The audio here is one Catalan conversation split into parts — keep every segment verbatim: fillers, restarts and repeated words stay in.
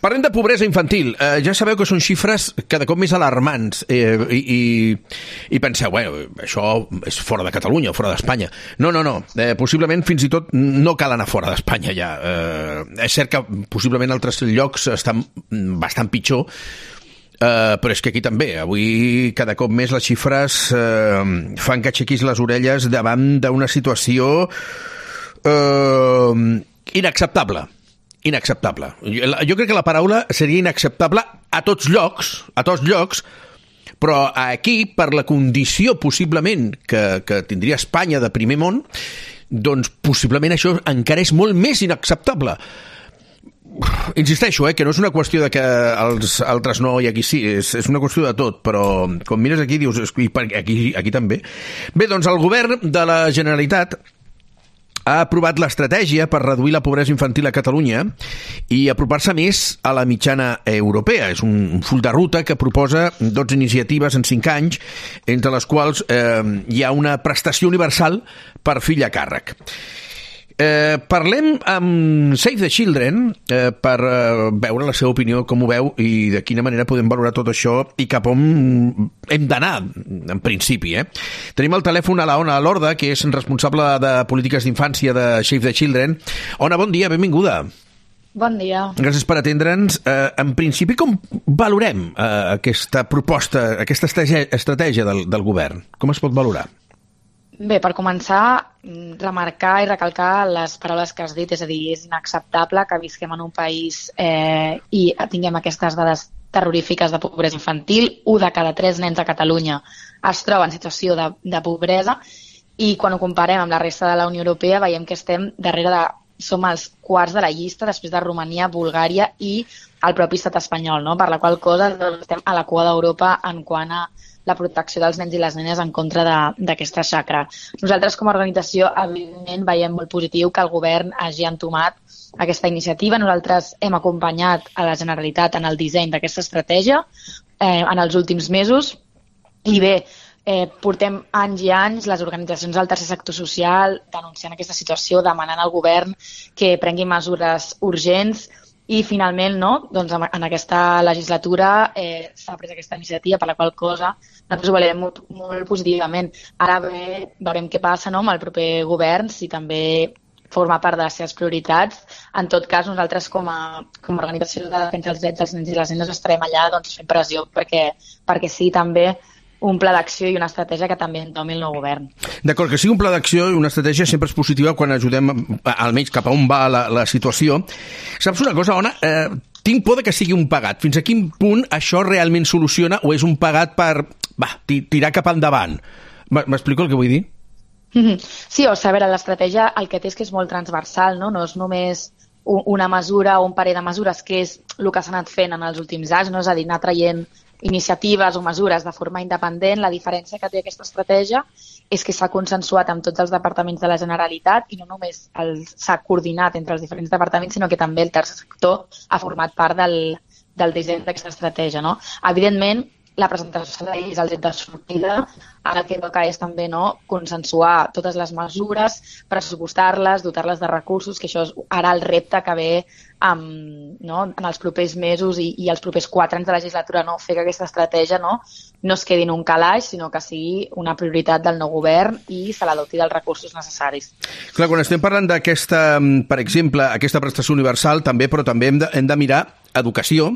Parlem de pobresa infantil. Eh, ja sabeu que són xifres cada cop més alarmants eh, i, i, i penseu, bueno, això és fora de Catalunya o fora d'Espanya. No, no, no. Eh, possiblement fins i tot no cal anar fora d'Espanya ja. Eh, és cert que possiblement altres llocs estan bastant pitjor, eh, però és que aquí també. Avui cada cop més les xifres eh, fan que aixequis les orelles davant d'una situació eh, inacceptable. Inacceptable. Jo, jo crec que la paraula seria inacceptable a tots llocs, a tots llocs, però aquí, per la condició possiblement que, que tindria Espanya de primer món, doncs possiblement això encara és molt més inacceptable. Insisteixo, eh, que no és una qüestió de que els altres no i aquí sí, és, és una qüestió de tot, però com mires aquí dius, aquí, aquí també. Bé, doncs el govern de la Generalitat ha aprovat l'estratègia per reduir la pobresa infantil a Catalunya i apropar-se més a la mitjana europea. És un full de ruta que proposa dotze iniciatives en cinc anys, entre les quals eh, hi ha una prestació universal per fill a càrrec. Eh, parlem amb Save the Children eh, per eh, veure la seva opinió, com ho veu i de quina manera podem valorar tot això i cap on hem d'anar, en principi. Eh? Tenim al telèfon a la Ona Lorda, que és responsable de polítiques d'infància de Save the Children. Ona, bon dia, benvinguda. Bon dia. Gràcies per atendre'ns. Eh, en principi, com valorem eh, aquesta proposta, aquesta estratègia del, del govern? Com es pot valorar? Bé, per començar, remarcar i recalcar les paraules que has dit, és a dir, és inacceptable que visquem en un país eh, i tinguem aquestes dades terrorífiques de pobresa infantil. Un de cada tres nens a Catalunya es troba en situació de, de pobresa i quan ho comparem amb la resta de la Unió Europea veiem que estem darrere de... som els quarts de la llista després de Romania, Bulgària i el propi estat espanyol, no? Per la qual cosa doncs, estem a la cua d'Europa en quant a la protecció dels nens i les nenes en contra d'aquesta xacra. Nosaltres, com a organització, evidentment veiem molt positiu que el govern hagi entomat aquesta iniciativa. Nosaltres hem acompanyat a la Generalitat en el disseny d'aquesta estratègia eh, en els últims mesos i bé, eh, portem anys i anys les organitzacions del tercer sector social denunciant aquesta situació, demanant al govern que prengui mesures urgents i finalment, no, doncs en aquesta legislatura eh, s'ha pres aquesta iniciativa, per la qual cosa nosaltres ho valorem molt, molt positivament. Ara bé, veurem què passa, no, amb el proper govern, si també forma part de les seves prioritats. En tot cas, nosaltres com a, com a organització de defensa dels drets dels nens i les nenes estarem allà doncs, fent pressió perquè, perquè sí també un pla d'acció i una estratègia que també entomi el nou govern. D'acord, que sigui un pla d'acció i una estratègia sempre és positiva quan ajudem almenys cap a on va la, la situació. Saps una cosa, Ona? Eh, tinc por de que sigui un pagat. Fins a quin punt això realment soluciona o és un pagat per va, tirar cap endavant? M'explico el que vull dir? Sí, o sigui, a veure, l'estratègia el que té és que és molt transversal, no? No és només una mesura o un parell de mesures, que és el que s'ha anat fent en els últims anys, no? És a dir, anar traient iniciatives o mesures de forma independent. La diferència que té aquesta estratègia és que s'ha consensuat amb tots els departaments de la Generalitat i no només s'ha coordinat entre els diferents departaments, sinó que també el tercer sector ha format part del, del disseny d'aquesta estratègia. No? Evidentment, la presentació de lleis, el dret de sortida, el que toca és també no, consensuar totes les mesures, pressupostar-les, dotar-les de recursos, que això és ara el repte que ve amb, no, en els propers mesos i, i els propers quatre anys de legislatura, no, fer que aquesta estratègia no, no es quedi en un calaix, sinó que sigui una prioritat del nou govern i se la doti dels recursos necessaris. Clar, quan estem parlant d'aquesta, per exemple, aquesta prestació universal, també, però també hem de, hem de mirar educació.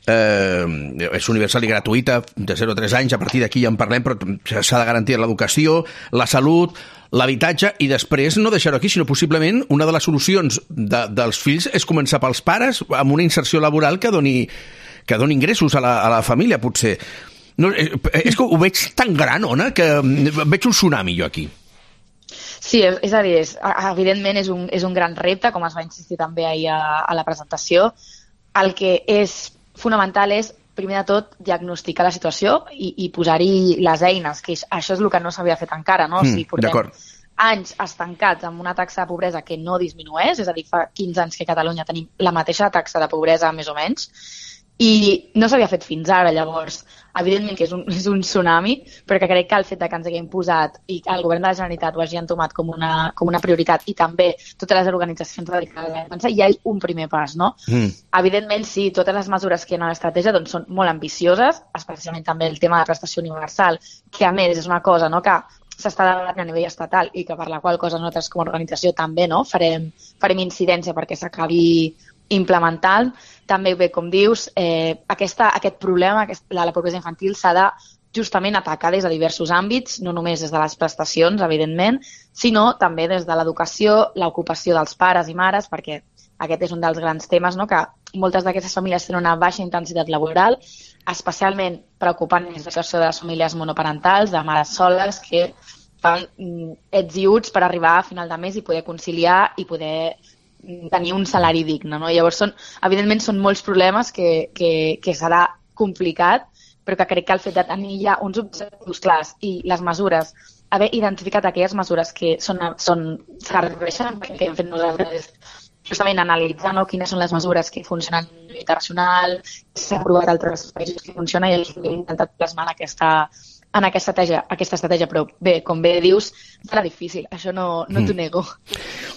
Eh, és universal i gratuïta de zero a tres anys, a partir d'aquí ja en parlem, però s'ha de garantir l'educació, la salut, l'habitatge i després no deixar-ho aquí, sinó possiblement una de les solucions de, dels fills és començar pels pares amb una inserció laboral que doni, que doni ingressos a la, a la família, potser. No, és, és que ho veig tan gran, Ona, que veig un tsunami jo aquí. Sí, és a dir, és, evidentment és un, és un gran repte, com es va insistir també ahir a, a la presentació. El que és fonamental és, primer de tot, diagnosticar la situació i, i posar-hi les eines, que això és el que no s'havia fet encara, no? Mm, o sigui, portem anys estancats amb una taxa de pobresa que no disminueix, és a dir, fa quinze anys que a Catalunya tenim la mateixa taxa de pobresa, més o menys, i no s'havia fet fins ara. Llavors, evidentment que és un, és un tsunami, però que crec que el fet de que ens haguem posat i que el govern de la Generalitat ho hagi entomat com una, com una prioritat i també totes les organitzacions dedicades a defensa, ja és un primer pas, no? Mm. Evidentment, sí, totes les mesures que hi ha a l'estratègia doncs, són molt ambicioses, especialment també el tema de la prestació universal, que a més és una cosa, no?, que s'està debatent a nivell estatal i que per la qual cosa nosaltres com a organització també, no?, farem, farem incidència perquè s'acabi implementant. També, bé, com dius, eh, aquesta, aquest problema, aquest, la, la pobresa infantil s'ha de justament atacar des de diversos àmbits, no només des de les prestacions, evidentment, sinó també des de l'educació, l'ocupació dels pares i mares, perquè aquest és un dels grans temes, no?, que moltes d'aquestes famílies tenen una baixa intensitat laboral, especialment preocupant és la situació de les famílies monoparentals, de mares soles, que fan mm, ets i uts per arribar a final de mes i poder conciliar i poder tenir un salari digne, no? Llavors, són, evidentment, són molts problemes que, que, que serà complicat, però que crec que el fet de tenir ja uns objectius clars i les mesures, haver identificat aquelles mesures que són, són, serveixen, que hem fet nosaltres, justament analitzar, no?, quines són les mesures que funcionen a nivell internacional, s'ha provat a altres països que funciona i hem intentat plasmar en aquesta en aquesta estratègia, aquesta estratègia, però bé, com bé dius, serà difícil, això no, no t'ho nego.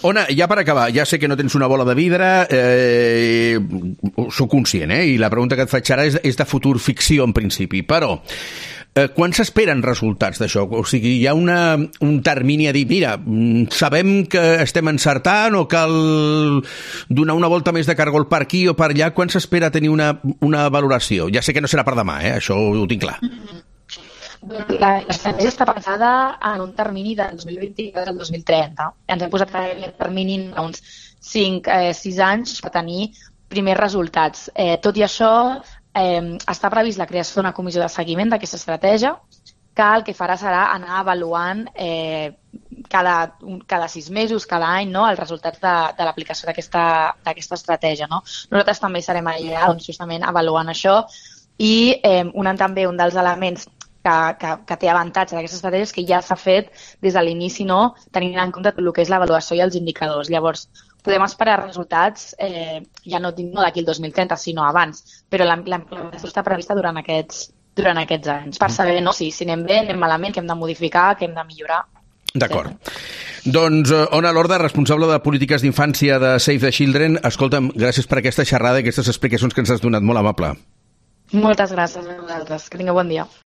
Ona, ja per acabar, ja sé que no tens una bola de vidre, eh, soc conscient, eh, i la pregunta que et faig ara és, és de futur ficció en principi, però eh, quan s'esperen resultats d'això? O sigui, hi ha una, un termini a dir, mira, sabem que estem encertant o cal donar una volta més de cargol per aquí o per allà, quan s'espera tenir una, una valoració? Ja sé que no serà per demà, eh, això ho tinc clar. Mm-hmm. L'estratègia està pensada en un termini del dos mil vint-dos al dos mil trenta. Ens hem posat aquest termini uns cinc sis anys per tenir primers resultats. Eh, tot i això, eh, està previst la creació d'una comissió de seguiment d'aquesta estratègia, que el que farà serà anar avaluant eh, cada, cada sis mesos, cada any, no?, els resultats de, de l'aplicació d'aquesta estratègia. No? Nosaltres també serem allà doncs, justament avaluant això i eh, un, també un dels elements Que, que, que té avantatge d'aquestes estratègies que ja s'ha fet des de l'inici, no?, tenint en compte tot el que és l'avaluació i els indicadors. Llavors, podem esperar resultats eh, ja no, no d'aquí el dos mil trenta, sinó abans, però la implementació està prevista durant aquests, durant aquests anys, per saber, no?, si, si anem bé, anem malament, que hem de modificar, que hem de millorar. D'acord. Sí. Doncs, Ona Lorda, responsable de polítiques d'infància de Save the Children, escolta'm, gràcies per aquesta xerrada i aquestes explicacions que ens has donat, molt amable. Moltes gràcies a vosaltres, que tingueu bon dia.